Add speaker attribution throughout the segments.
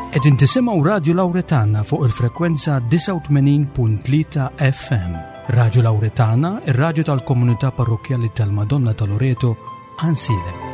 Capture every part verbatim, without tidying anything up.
Speaker 1: Qegħdin tisimgħu Radio Lauretana fuq il-frekwenza disgħa u tmenin punt tlieta F M. Radio Lauretana, ir-radju tal-Komunità Parrokkjali tal-Madonna ta' Loreto, Għajnsielem.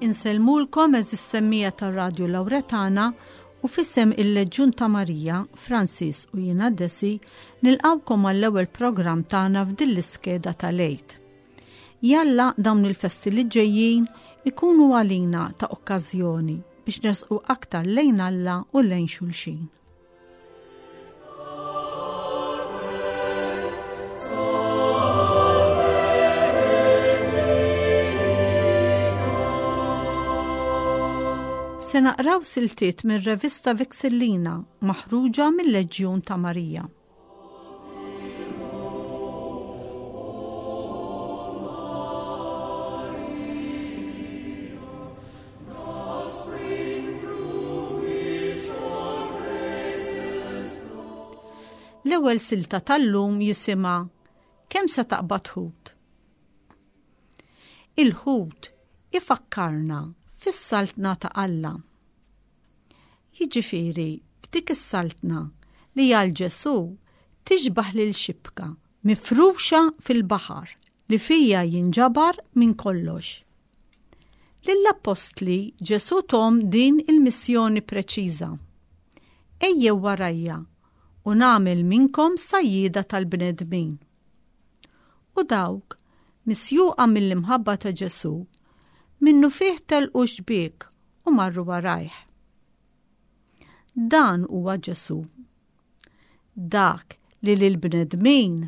Speaker 2: Insellmulkom eżis semmija tar-Radju Lauretana u f'isem il-Leġjun ta' Marija, Francis u jiena Desi, nilqawkom għall-ewwel programm tagħna f'din l-iskeda tal-Għid. Jalla dawn il-festi li ġejjin ikunu għalina ta' okkażjoni biex nersqu aktar lejn Alla u lejn xulxin. Se naqraw siltiet mir-revista Vexillina maħruġa mill-Leġjun ta' Marija. L-ewwel silta tal-lum jisimha Kemm se taqbad ħut? Il-ħut ifakkarna fis-saltna ta' Alla. Jiġifieri f'dik is-saltna li għal Ġesù tixbaħ lil xibka mifruxa fil-baħar li fija jinġabar minn kollox. Lill-appostli Ġesù tom din il-missjoni preċiża. Ejjew warajja u nagħmel minnkom sajjieda tal-bnedmin. U dawk, misjuqa mill-imħabba ta' Ġesù, minnu fih telqu xbiek u marru warajh. Dan huwa Ġesù. Dak li lill-bnedmin,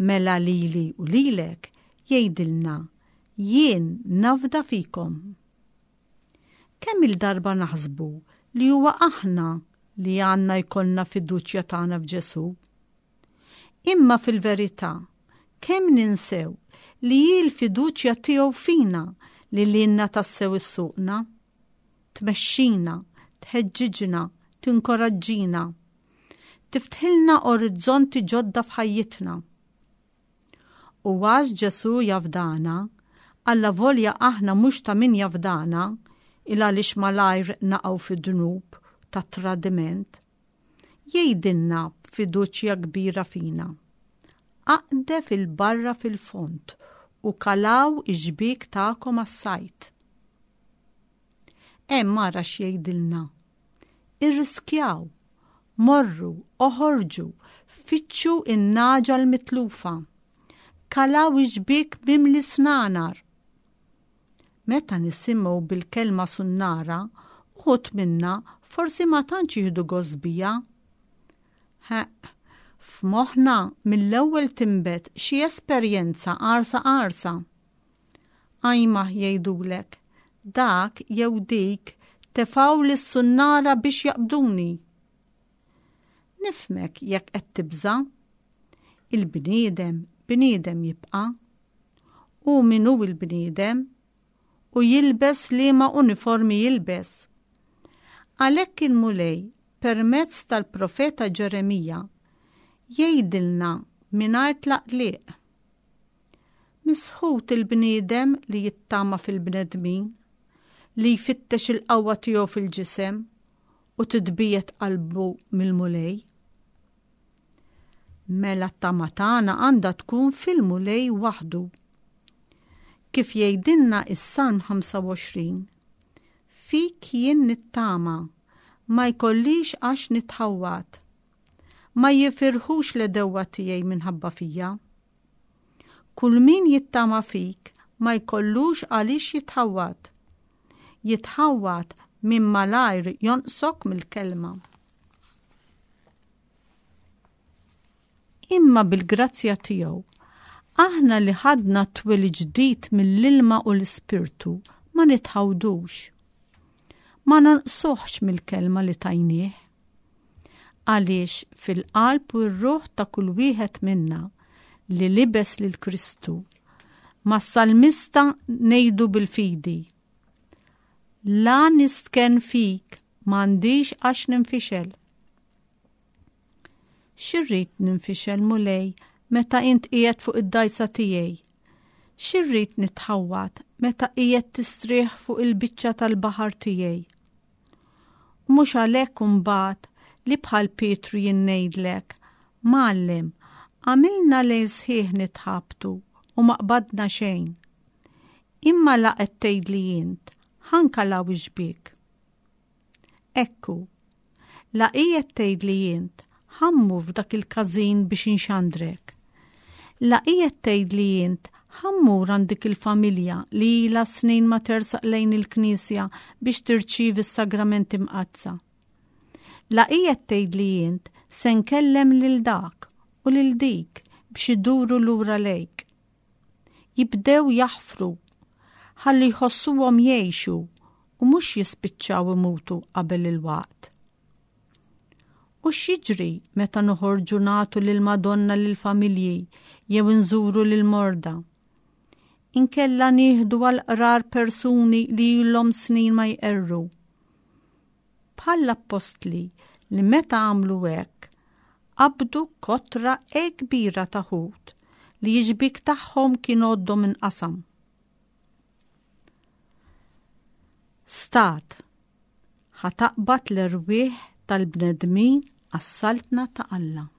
Speaker 2: mela lili u lilek, jgħidilna, jien nafda fikom. Kemm il-darba naħsbu li huwa aħna li għandna jkollna fiduċja tagħna f'Ġesù? Imma fil-verità, kemm ninsew li hi l-fiduċja tiegħu fina li lilna tassew issuqna, tmexxina, tħeġġiġna, tinkoraġġina, tiftħilna orizzonti ġodda f'ħajjitna. U għax Ġesù jafdana, allavolja aħna mhux ta' min jafdana, il għaliex malajr naqgħu fid-dnub ta' tradiment, jgħidilna b'fiduċja kbira fina. Aqdef il-barra fil-fond u kalaw ix-xbiek tagħkom għas-sajt. Hemm ara x'jgħidilna. Irriskjaw, morru, oħorġu, fittxu in-naġa l-mitlufa. Kalaw ix-xbiek mimli snanar. Meta nisimgħu bil-kelma sunnara, uħud minna forsi ma tantx jieħdu gost bija. Ħeq, f'moħħna mill-ewwel tinbet xi esperjenza qarsa qarsa. Ajma jgħidulek, dak jew dik tefgħu lis-sunnara biex jaqbduni. Nifhmek jekk qed tibża'. Il-bniedem, bniedem jibqa'. U min hu l-bniedem? U jilbes liema uniformi jilbes. Għalhekk il-Mulej, permezz tal-profeta Ġeremija, jgħidilna mingħajr tlaqliq. Misħut il-bniedem li jittama fil-bnedmin, li jfittex il-qawwa tiegħu fil-ġisem u titbiet qalbu mill-Mulej. Mela t-tama tagħna għandha tkun fil-Mulej waħdu. Kif jgħidilna is-Salm ħamsa u għoxrin, fik jien nittama, ma jkollix għax nitħawwad. Ma jifirħux l-għedewwa tiegħi minħabba fija. Kull min jittama fik ma jkollux għaliex jitħawwad. Jitħawwad min malajr jonqsok mill-kelma. Imma bil-grazzja tiegħu, aħna li ħadna t-twelid ġdid mill-ilma u l-ispirtu ma nitħawdux. Ma nonqsuhx mill-kelma li tajnieh. Għaliex fil-qalb u r-ruħ ta' kull wieħed minna li libes lil Kristu, mas-salmista ngħidu bil-fidi: La nistken fik, m'għandix għax ninfixel. X'irrid ninfixel, Mulej, meta int qiegħed fuq id-dgħajsa tiegħi? X'irrid nitħawwad meta qiegħed tistrieħ fuq il-biċċa tal-baħar tiegħi? U mhux għalhekk imbagħad li bħal Pietru jien ngħidlek: Mgħallem, għamilna lejl sħiħ nitħabtu u ma qbadna xejn. Imma la qed tgħidli int, ħa nkalaw ix-xbiek. Ekku, la qiegħed tgħidli int, ħa mmur f'dak il-każin biex inxandrek. La qiegħed tgħidli int, ħa mmur għand dik il-familja li ilha snin ma tersaq lejn il-knisja biex tirċievi s-sagramenti mqaddsa. La qiegħed tgħidli int, se nkellem lil dak u lil dik biex iduru lura lejk. Jibdew jaħfru, ħalli jħossuhom jgħixu u mhux jispiċċaw imutu qabel il-waqt. U x'jiġri meta noħorġu nagħtu lil Madonna lil familji jew nżuru lil morda? Inkella nieħdu għal qrar persuni li ilhom snin ma jqerru. Bħall-appostli li meta għamlu hekk, qabdu kotra e kbira ta' ħut li x-xbiek tagħhom kien għoddhom inqasam. Stat, ħa taqbad l-erwieħ tal-bnedmin għas-saltna ta' Alla.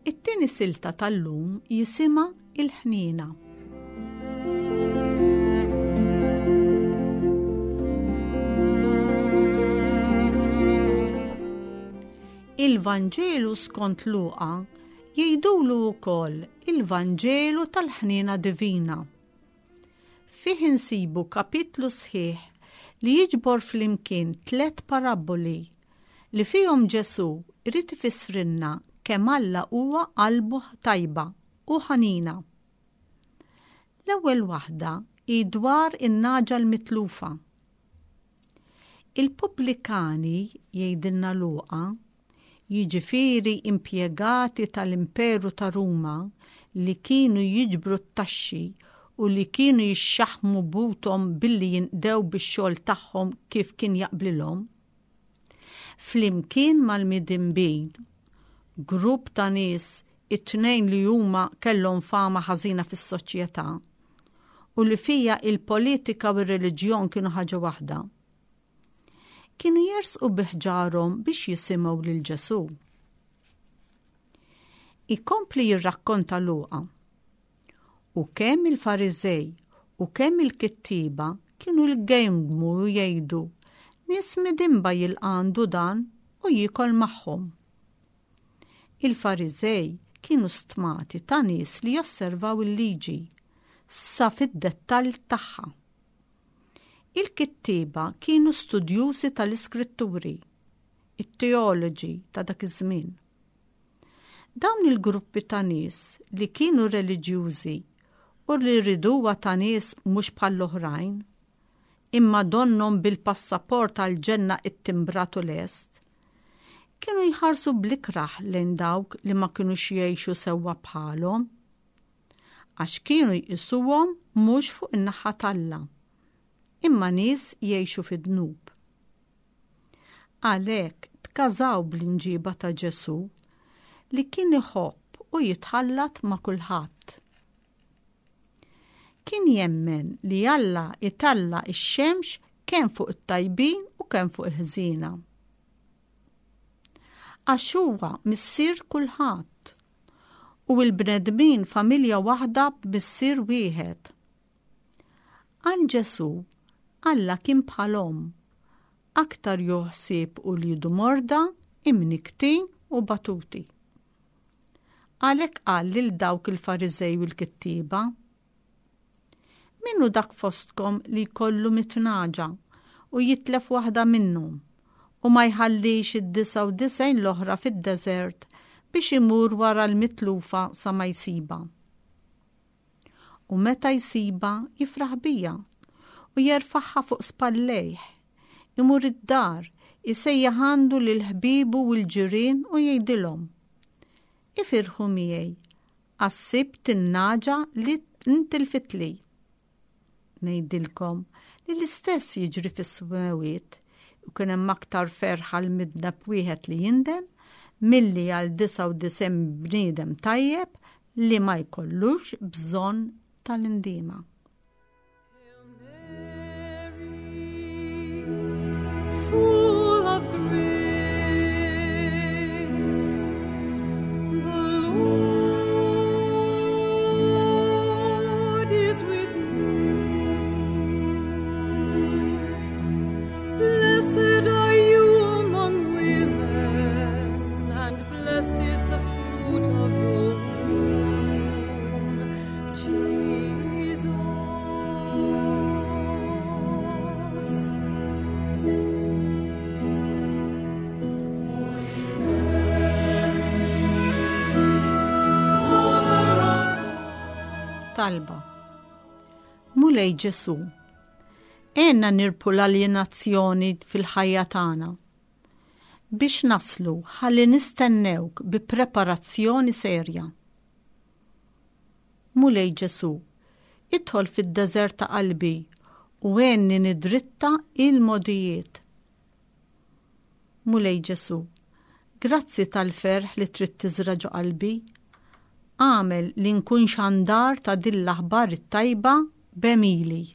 Speaker 2: It-tieni silta tal-lum jisimha il-ħniena. Il-Vanġelu skont Luqa jgħidulu wkoll il-Vanġelu tal-ħniena divina. Fih insibu kapitlu sħiħ li jiġbor flimkien tliet parabboli li fihom Ġesù irid ifissrilna kemm Alla huwa qalbu tajba u ħanina. L-ewwel waħda hi dwar in-naġa l-mitlufa. Il-pubblikani, jgħidilna Luqa, jiġifieri impjegati tal-Imperu ta' Ruma li kienu jiġbru t-taxxi u li kienu jixxaħmu buthom billi jinqdew bix-xogħol tagħhom kif kien jaqblilhom, flimkien mal-midinbin, grupp ta' nies it-tnejn li huma kellhom fama ħażina fis-soċjetà u li fija il-politika u r-reliġjon kienu ħaġa waħda, kienu jersqu biħġarhom biex jisimgħu lil Ġesù. Ikompli jirrakkonta Luqa. U kemm il-Fariżej u kemm il-kittieba kienu l-gejmgmu u jgħidu, nies midinba jilqandu dan u jiekol magħhom. Il-Fariżej kienu stmati ta' nies li josservaw il-liġi sa fid-dettall tagħha. Il-kittieba kienu studjużi tal-iskritturi, it-teoloġi ta' dak iż-żmien. Dawn il-gruppi ta' nies li kienu reliġjużi u li riduha ta' nies mhux bħall-oħrajn, imma donnhom bil-passaport għall-ġenna ittimbratu lest, Kienu jħarsu bl-ikrah lejn dawk li ma kinux jgħixu sewwa bħalhom, għax kienu jqisuhom mhux fuq in-naħa t'Alla, imma nies jgħixu fid-dnub. Għalhekk tkażaw bl-imġiba ta' Ġesù li kien iħobb u jitħallat ma' kulħadd. Kien jemmen li Alla italla' x-xemx kemm fuq it-tajbin u kemm fuq il-ħżiena. Għax huwa missier kulħadd u l-bnedmin familja waħda b'missier wieħed. Għal Ġesù, Alla kien bħal omm, aktar jieħu ħsieb uliedu morda, imnikktin u batuti. Għalhekk qal lil dawk il-Fariżej u l-kittieba, Min hu dak fostkom li jkollu mitt nagħġa u jitlef waħda minnhom u ma jħallix id-disgħa u disgħin l-oħra fid-deżert biex imur wara l-mitlufa sa ma jsibha. U meta jsibha jifraħ biha u jerfagħha fuq spallejh, imur id-dar, isejjaħ għandu lil ħbiebu u l-ġirien u jgħidilhom, Ifirħu miegħi, għax sibt in-nagħġa li ntilfitli. Ngħidilkom li l-istess jiġri fis-smewwiet u kien hemm aktar ferħ għal midneb wieħed li jindem milli għal disgħa u disgħin bniedem tajjeb li ma jkollux bżonn tal-indiema.
Speaker 3: Full of grace, the Lord is with you. Blessed are you among women, and blessed is the fruit of your womb, Jesus.
Speaker 2: Talba. Mulej Ġesù, għenna nirbħu l-aljenazzjoni fil-ħajja tagħna biex naslu ħalli nistennewk bi preparazzjoni serja. Mulej Ġesù, idħol fid-deżert ta' qalbi u għenni nidritta il-modijiet. Mulej Ġesù, grazzi tal-ferħ li trid tiżra' ġo qalbi. Għamel li nkun xandar ta' din l-aħbar it-tajba b'għemili.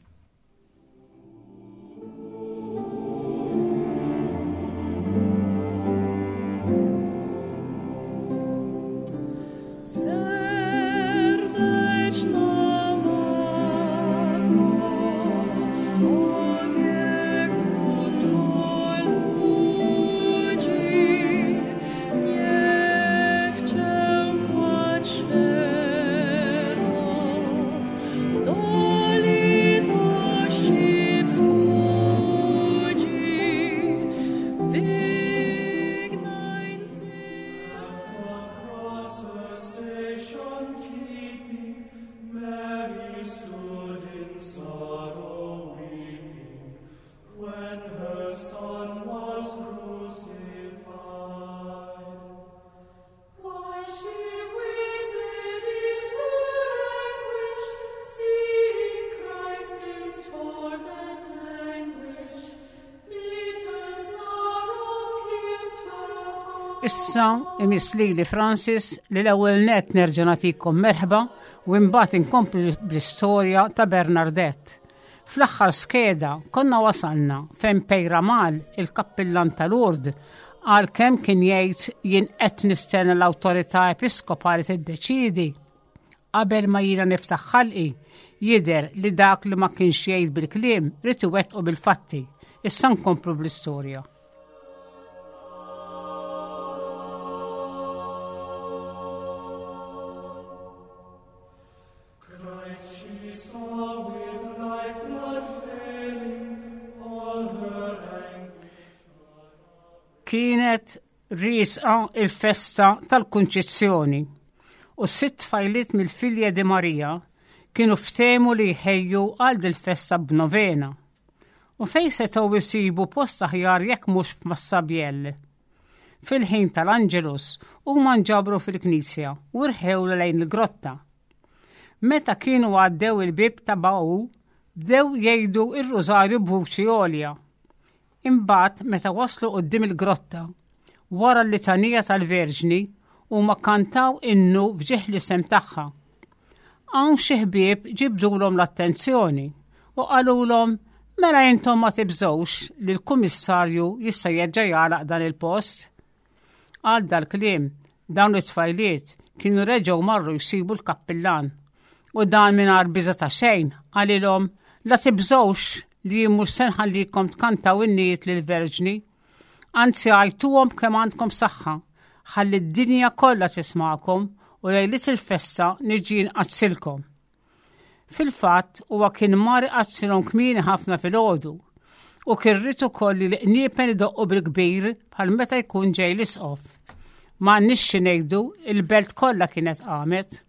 Speaker 4: Issa imiss lili Francis li l-ewwel net nerġa' nagħtikom merħba u imbagħad inkomplu bl-istorja ta' Bernardette. Fl-aħħar skeda konna wasalna fejn Peyramale, il-kappillan ta' Lourdes, għal kemm kien jgħid jien qed nistenna l-awtorità episkopali tiddeċiedi. Qabel ma jiena niftaħ ħalqi, jidher li dak li ma kienx jgħid bil-kliem rid iwettqu bil-fatti. Issa nkomplu bl-istorja. Kienet riesqa il-festa tal-Kunċizzjoni u sitt tfajliet mill-Filja di Maria kienu ftehmu li jħejju għal dil-festa b'novena. U fejn setgħu jsibu post aħjar jekk mhux f'Massabielle. Fil-ħin tal-Angelus huma nġabru fil-knisja u rħew lejn il-grotta. Meta kienu għaddew il-bib ta' Bau, bdew jgħidu ir-rużarju b'vuċi għolja. Imbagħad meta waslu quddiem il-grotta, wara l-litanija tal-Verġni, huma kantaw innu f'ġieħ l-isem tagħha. Hawn xi ħbieb ġibdulhom l-attenzjoni u qalulhom mela intom ma tibżgħux li l-kummissarju jista' jerġa' jagħlaq dan il-post. Għal dal-kliem dawn it-tfajliet kienu reġgħu marru jsibu l-kappillan u dan mingħajr biża' ta' xejn qalilhom la tibżgħux li mhux se nħallikom tkantaw innijiet lill-Verġni, anzi għajtuhom kemm għandkom saħħa, ħalli d-dinja kollha tismakom u lejliet il-festa niġi nqaddsilkom. Fil-fatt huwa kien mar iqaddsilhom kmieni ħafna filgħodu u kien ried ukoll li l-qniepen idoqqu bil-kbir bħal meta jkun ġej l-isqof. Ma nixxi xi ngħidu il-belt kollha kienet qamet.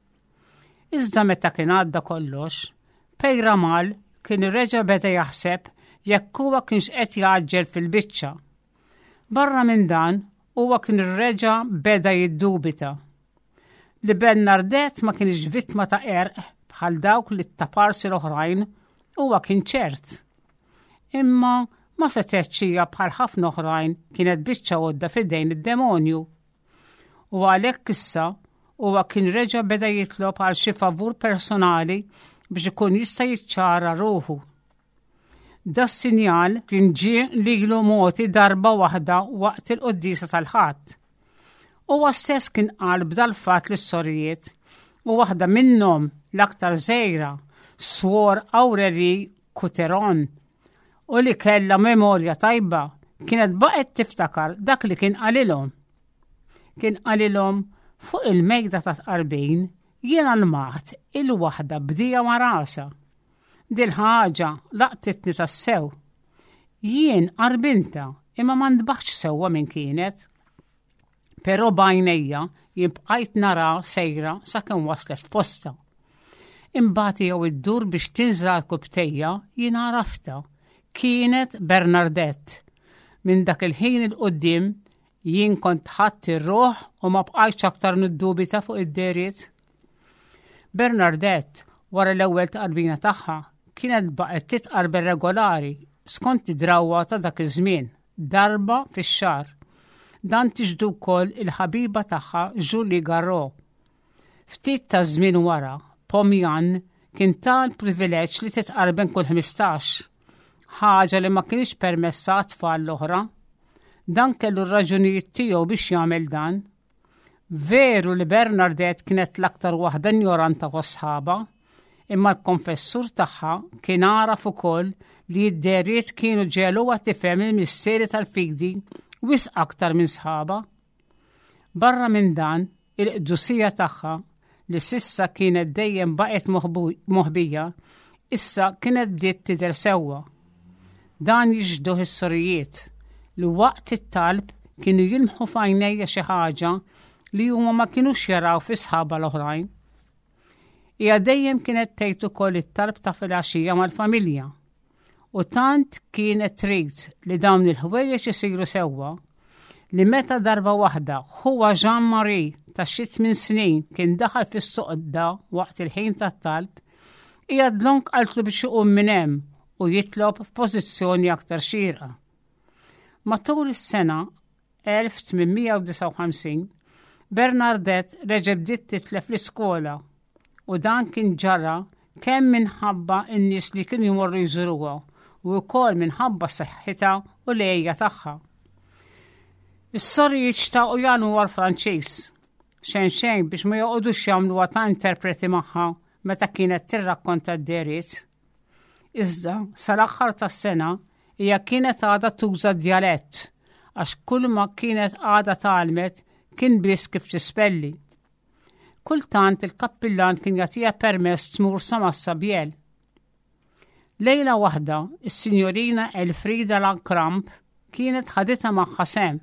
Speaker 4: Iżda meta kien għadda kollox, Peyramale kien reġa' beda jaħseb jekk huwa kienx qed jgħaġġel fil-biċċa. Barra minn dan, huwa kien reġa' beda jiddubita. Li Bernadette ma kienx vittma ta' qerq bħal dawk li taparsi l-oħrajn, huwa kien ċert. Imma ma setgħetx hija bħal ħafna oħrajn kienet biċċa għodda f'idejn id-demonju. U għalhekk issa huwa kien reġa' beda jitlob għal xi favur personali biex ikun jista' jiċċara ruħu. Das-sinjal kien ġie lilu mogħti darba waħda waqt il-quddiesa tal-Ħadd. Huwa stess kien qal b'dal-fatt lis-sorijiet u waħda minnhom l-aktar żgħira, Swor Aurelie Couteron, u li kellha memorja tajba kienet baqgħet tiftakar dak li kien qalilhom. Kien qalilhom fuq il-mejda ta' tqarbin jiena lmaħt il-waħda bdija ma' rasha. Dil-ħaġa laqtitni tassew. Jien qarbintha imma ma ntbaħtx sewwa min kienet. Però b'għajnejja jien bqajt nara sejra sakemm waslet f'posta. Imbagħad jew iddur biex tinżel għarkupptejha jien għaraftha. Kienet Bernadette. Minn dak il-ħin 'il quddiem jien kont ħadt ir-ruħ u ma bqajtx aktar niddubita fuq id-dehriet. Bernadette wara l-ewwel tqarbina tagħha kienet baqgħet titqarben regolari skont id-drawwa ta' dak iż-żmien, darba fix-xahar. Dan tixhdu wkoll il-ħabiba tagħha Julie Garot. Ftit ta' żmien wara, Pomian kien ta l-privileġġ li titqarben kull ħmistax, ħaġa li ma kienx permessa tfal l-oħra. Dan kellu r-raġunijiet tiegħu biex jagħmel dan. Veru li Bernadette kienet l-aktar waħda ignoranta fost sħabha, imma l-konfessur tagħha kien għaraf ukoll li d-dehriet kienu ġegħluha tifhem il-misteri tal-fidi wisq aktar minn sħabha. Barra minn dan, il-qdusija tagħha li s'issa kienet dejjem baqgħet moħbija, issa kienet bdiet tidher sewwa. Dan jixhduh is-sorijiet li waqt it-talb kienu jilmħu f'għajnejha xi ħaġa li huma ma kinux jaraw fi sħabha l-oħrajn. Hija dejjem kienet tgħid ukoll it-talb ta' filgħaxija mal-familja. U tant kienet trid li dawn il-ħwejjeġ isiru sewwa li meta darba waħda ħuha Jean-Marie ta' xi tmien snin kien daħal fis-soqda waqt il-ħin tat-talb, hija dlonk qaltlu biex iqum minn hemm u jitlob f'pożizzjoni aktar xierqa. Matul is-sena elf tmien mija u disgħa u ħamsin, Bernadette reġgħet bdiet titlef l-iskola u dan kien ġara kemm minħabba n-nies li kienu jmorru jżuruha u wkoll minħabba saħħitha u l-għeja tagħha. Is-sorijiet xtaqu jgħallmuha l-Franċiż, xejn xejn biex ma joqogħdux jagħmluha ta' interpreti magħha meta kienet tirrakkonta d-dehriet. Iżda sal-aħħar tas-sena hija kienet għadha tuża djalett għax kull ma kienet għadha tgħallmet kien biss kif tispelli. Kultant il-kappillan kien jagħtiha permess tmur sa Massabielle. Lejla waħda, is-sinjorina Elfrida Lacrampe kienet ħaditha magħha s'hemm.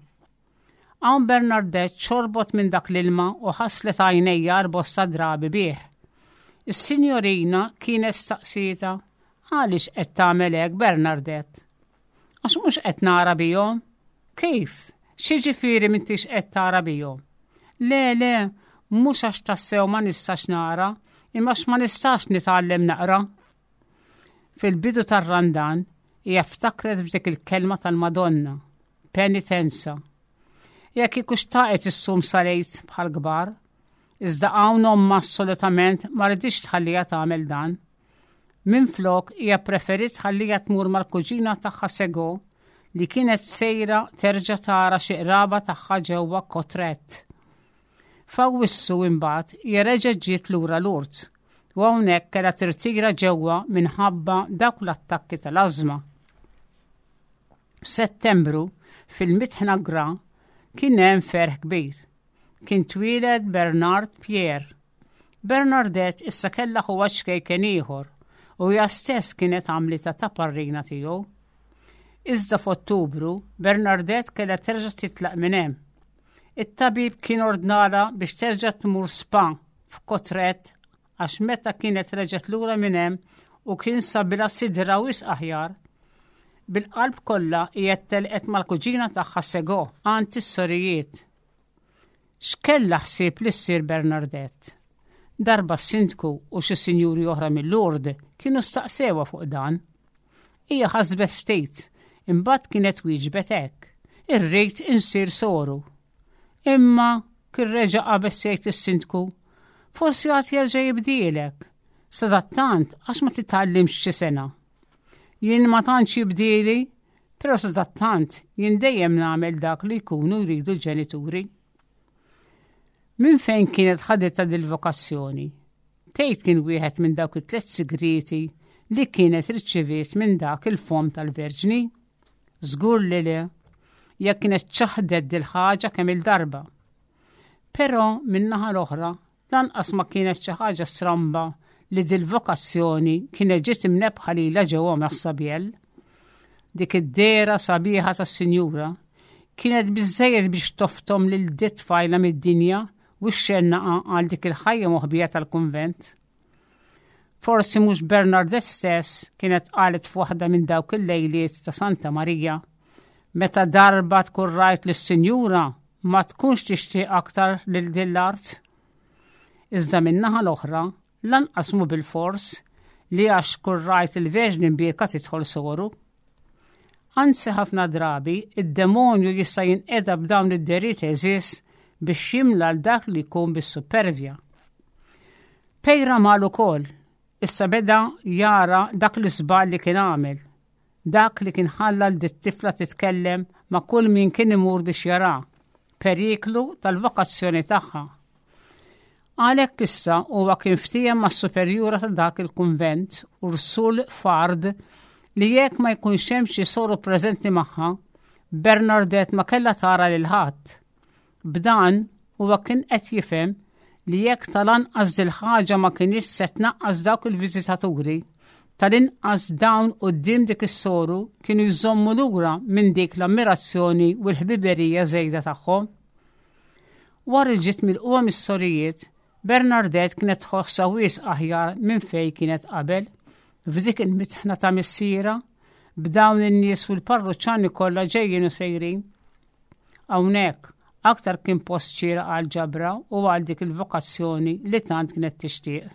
Speaker 4: Hawn Bernadette xorbot minn dak l-ilma u ħaslet għajnejha bosta drabi bih. Is-sinjorina kienet staqsietha għaliex qed tagħmel hekk, Bernadette? Għax mhux qed nara bihom. Kif? X'jiġifieri m'intix qed tara bihom? Le, le, mhux għax tassew ma nistax nara, imma għax ma nistax nitgħallem naqra. Fil-bidu tar-Randan hija ftakret f'dik il-kelma tal-Madonna, penitenza. Hija kieku xtaqet issum sal-Għid bħal kbar, iżda hawn ommha assolutament ma riditx tħallija tagħmel dan. Minflok hija preferit tħallija tmur mal-kuġina tagħha Sego li kienet sejra terġa' tara xi qraba tagħha ġewwa Cauterets. F'Awwissu imbagħad hija reġgħet ġiet lura Lourdes u hawnhekk kellha tirtira ġewwa minħabba dawk l-attakki tal-ażma. F'Settembru fil-Mitħna Gra kien hemm ferħ kbir. Kien twieled Bernard Pierre. Bernadette issa kellha ħuha ċkejken ieħor u hija stess kienet għamlitha ta' parrina tiegħu. Iżda f'Ottubru Bernadette kellha terġa' titlaq minn hemm. It-tabib kien ordnala biex terġa' tmur spa f'Cauterets għax meta kienet reġgħet lura minn hemm u kien sabilha sidra wisq aħjar. Bil-qalb kollha hija telqet mal-kuġina tagħha Sego għand is-sorijiet. X'kella ħsieb li ssir Bernadette? Darba s-sindku u xi sinjuri oħra mill-Lourdes kienu staqsewha fuq dan. Hija ħasbet ftit, imbagħad kienet wieġbet hekk. Irrid insir soru. Imma kien reġa' qabeż jgħid is-sindku, forsi għad jerġa' jibdielek. Sadattant għax ma titgħallimx xi sengħa. Jien ma tantx jibdieli, però sadattant jien dejjem nagħmel dak li jkunu jridu l-ġenituri. Min fejn kienet ħaditha dil-vokazzjoni? Tgħid kien wieħed minn dawk it-tliet sigriti li kienet riċeviet minn dak il-fom tal-Verġni? Żgur li le, jekk kienet ċaħdet dil-ħaġa kemm il-darba. Però min-naħa l-oħra, lanqas ma kienet xi ħaġa stramba li dil-vokazzjoni kienet ġiet imnebbħa lilha ġewwa Massabielle. Dik id-dehra sabiħa tas-Sinjura kienet biżejjed biex toftom lil dit-tfajla mid-dinja u xxennaqa għal dik il-ħajja moħbija tal-kunvent. Forsi mhux Bernadette stess kienet qalet f'waħda minn dawk il-lejliet ta' Santa Marija, meta darba tkun rajt lis-Sinjura ma tkunx tixtieq aktar lil din l-art. Iżda min-naħa l-oħra, lanqas mu bil-fors li għax tkun rajt il-Verġni Mbierka tidħol soru. Anzi ħafna drabi, id-demonju jista' jinqeda b'dawn id-dehriet għeżież biex jimla 'l dak li jkun bis-supervja. Peyramale ukoll, issa beda jara dak l-iżball li kien għamel, dak li kien ħalla 'l dit-tifla titkellem ma' kull min kien imur biex jara, periklu tal-vokazzjoni tagħha. Għalhekk issa huwa kien ftiehem mas-superjura ta' dak il-kunvent Ursule Fard li jekk ma jkunx hemm xi soru preżenti magħha, Bernadette ma kellha tara lil ħadd. B'dan huwa kien qed jifhem li jekk tal-anqas dil-ħaġa ma kienx se tnaqqas dawk il-viżitaturi, tal-inqas dawn quddiem dik is-soru kienu jżommu lura minn dik l-ammirazzjoni u l-ħbiberija żejda tagħhom. Wara ġiet milqugħa mis-sorijiet, Bernadette kienet tħossha wisq aħjar minn fejn kienet qabel, f'dik il-mitħna ta' missierha, b'dawn in-nies u l-parruċċani kollha ġejjin u sejrin. Hawnhekk aktar kien post xieraq għal ġabra u għal dik il-vokazzjoni li tant kienet tixtieq.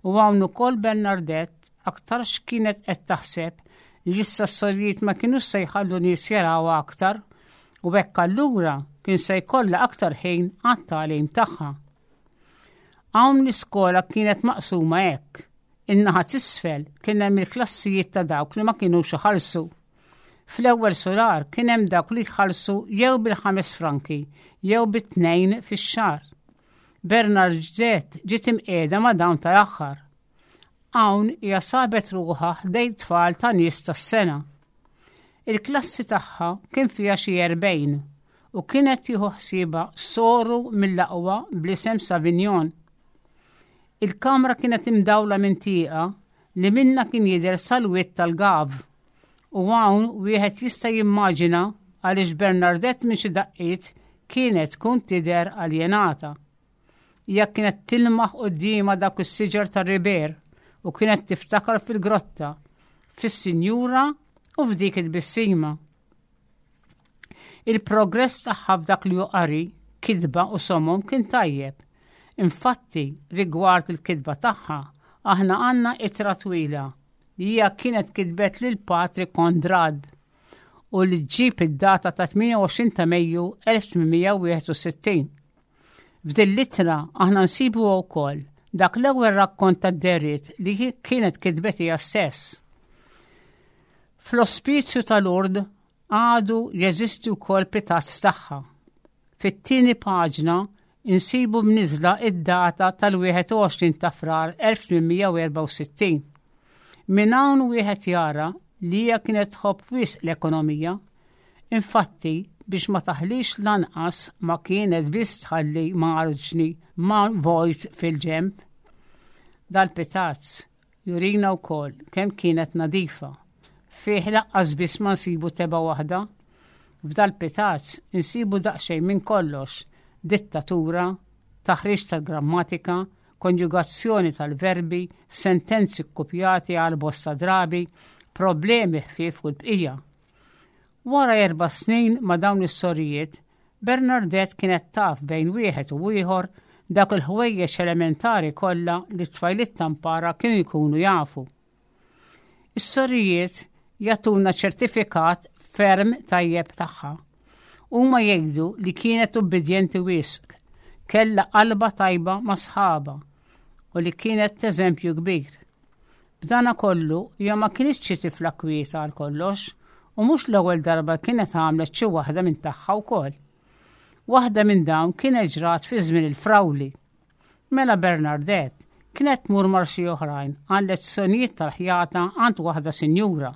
Speaker 4: U hawn ukoll Bernadette aktarx kienet qed taħseb li issa s-sorijiet ma kienux se jħallu nies jarawha aktar u hekk allura kien se jkollha aktar ħin għat-tagħlim tagħha. Hawn l-iskola kienet maqsuma hekk. In-naħa t'isfel kien hemm il-klassijiet ta' dawk li ma kinux iħallsu. Fl-ewwel sular kien hemm dawk li jħallsu jew bil-ħames franki jew bit-tnejn fix-xahar. Bernadette ġiet imqiegħda ma' dawn tal-aħħar. Hawn hija sabet ruħha ħdejn tfal ta' nies tas-sengħa. Il-klassi tagħha kien fiha xi erbgħin u kienet tieħu ħsiebha soru mill-aqwa bl-isem Savignon. Il-kamra kienet imdawla minn tieqa li minna kien jidher sal-wied tal-Gave. U hawn wieħed jista' jimmaġina għaliex Bernadette minn xi daqqiet kienet tkun tidher aljenata. Hija kienet tilmaħ quddiemha dak is-siġar tar-riber u kienet tiftakar fil-grotta, fis-sinjura u f'dik it-tbissima. Il-progress tagħha f'dak li hu qari, kitba u somom kien tajjeb. Infatti, rigward il-kitba tagħha, aħna għandna ittra twila li hija kienet kitbet lil Patri Konrad u li ġġib id-data ta' tmienja u għoxrin ta' Mejju elf tmien mija wieħed u sittin. F'din l-ittra aħna nsibu wkoll dak l-ewwel rakkont tad-dehriet li kienet kitbet hija stess. Fl-ospizju ta' Lourdes għadu jeżisti wkoll pitazz tagħha. Fit-tieni paġna insibu mniżla id-data tal-wieħed u għoxrin ta' Frar elf tmien mija erbgħa u sittin. Minn hawn wieħed jara li hija kienet tħobb wisq l-ekonomija. Infatti, biex ma taħlix lanqas ma kienet biss tħalli marġni ma vojt fil-ġemp. Dal-pitazz jurina wkoll kemm kienet nadifa. Fih lanqas biss ma nsibu tebgħa waħda. F'dal-pitazz insibu daqsxejn minn kollox: dittatura, taħriġ tal-grammatika, konjugazzjoni tal-verbi, sentenzi kkupjati għal bosta drabi, problemi ħfief u l-bqija. Wara erba' snin ma' dawn is-sorijiet, Bernadette kienet taf bejn wieħed u ieħor dak il-ħwejjeġ elementari kollha li t-tfajliet tampara kienu jkunu jafu. Is-sorijiet jagħtuna ċertifikat ferm tajjeb tagħha. Huma jgħidu li kienet ubbidjenti wisq, kella qalba tajba ma' sħaba u li kienet eżempju kbir. B'dana kollu hija ma kienx xi tifla kwieta għal kollox u mhux l-ewwel darba kienet għamlet xi waħda minn tagħha wkoll. Waħda minn dawn kienet ġrat fi żmien il-frawli. Mela Bernadette kienet tmur mar xi oħrajn għal lezzjonijiet tal-ħjata għand waħda sinjura.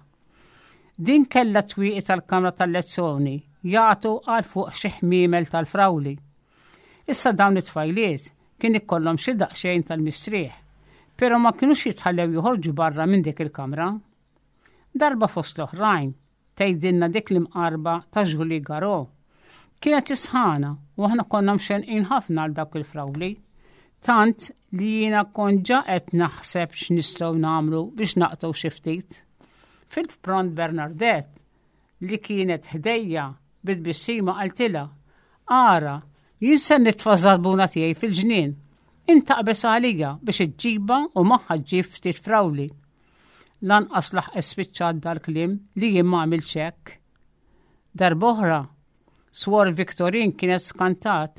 Speaker 4: Din kella twieqi tal-kamra tal-lezzjoni jagħtu għal fuq xi ħmiemel tal-frawli. Issa dawn it-tfajliet kien ikollhom xi daqsxejn tal-mistrieħ, però ma kinux jitħallew joħorġu barra minn dik il-kamra. Darba fost l-oħrajn, tgħidilna dik l-imqarba ta' Julie Garo. Kienet isħana u aħna konna mxenqin ħafna għal dawk il-frawli. Tant li jiena kont ġa qed naħseb x'nistgħu nagħmlu biex naqtgħu xi ftit. Fil-pront Bernadette li kienet ħdejja bit-tbissima qaltilha, "Ara, jien se nitfa' żarbuna tiegħi fil-ġnien. Int aqbeż għalija biex iġġibha u magħha ġġib ftit frawli." Lanqas laħqet spiċċat dal-kliem li jien ma għamiltx hekk. Darb'oħra, Swor Victorin kienet skantat.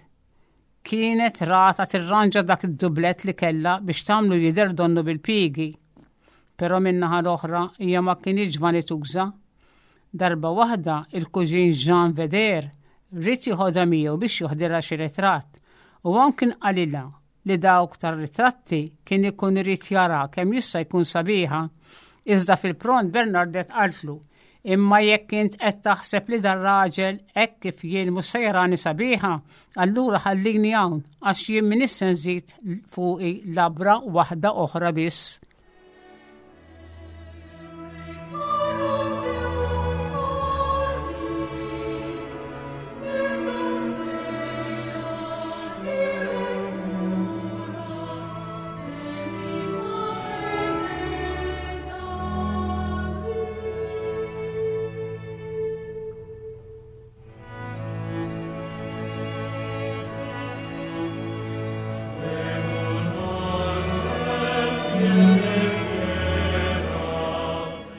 Speaker 4: Kienet ratha tirranġa dak id-dublet li kella biex tagħmlu jidher donnu bil-pigi. Però min-naħa l-oħra hija ma kienx vanituża. Darba waħda il-kuġin Jean Veder ried joħodha miegħu biex joħdilha xi ritratt u hawn kien qalilha li dawk tar-ritratti kien ikun irid jara kemm jista' jkun sabiħa. Iżda fil-pront Bernadette qaltlu, "Imma jekk int qed taħseb li dar-raġel hekk kif jien mhux se jarani sabiħa, allura ħallini hawn għax jien m'iniex se nżid fuqi labra waħda oħra biss."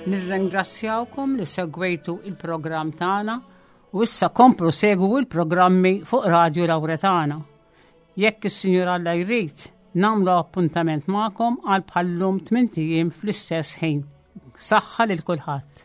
Speaker 4: Nirringrazzjawkom li segwejtu il-programm tagħna u issa komplu segwu il-programmi fuq Radio Lauretana. Jekk is-Sinjur Alla jrid, nagħmlu appuntament magħkom għal bħallum tmint ijiem fl-istess ħin. Saħħa lil kulħadd.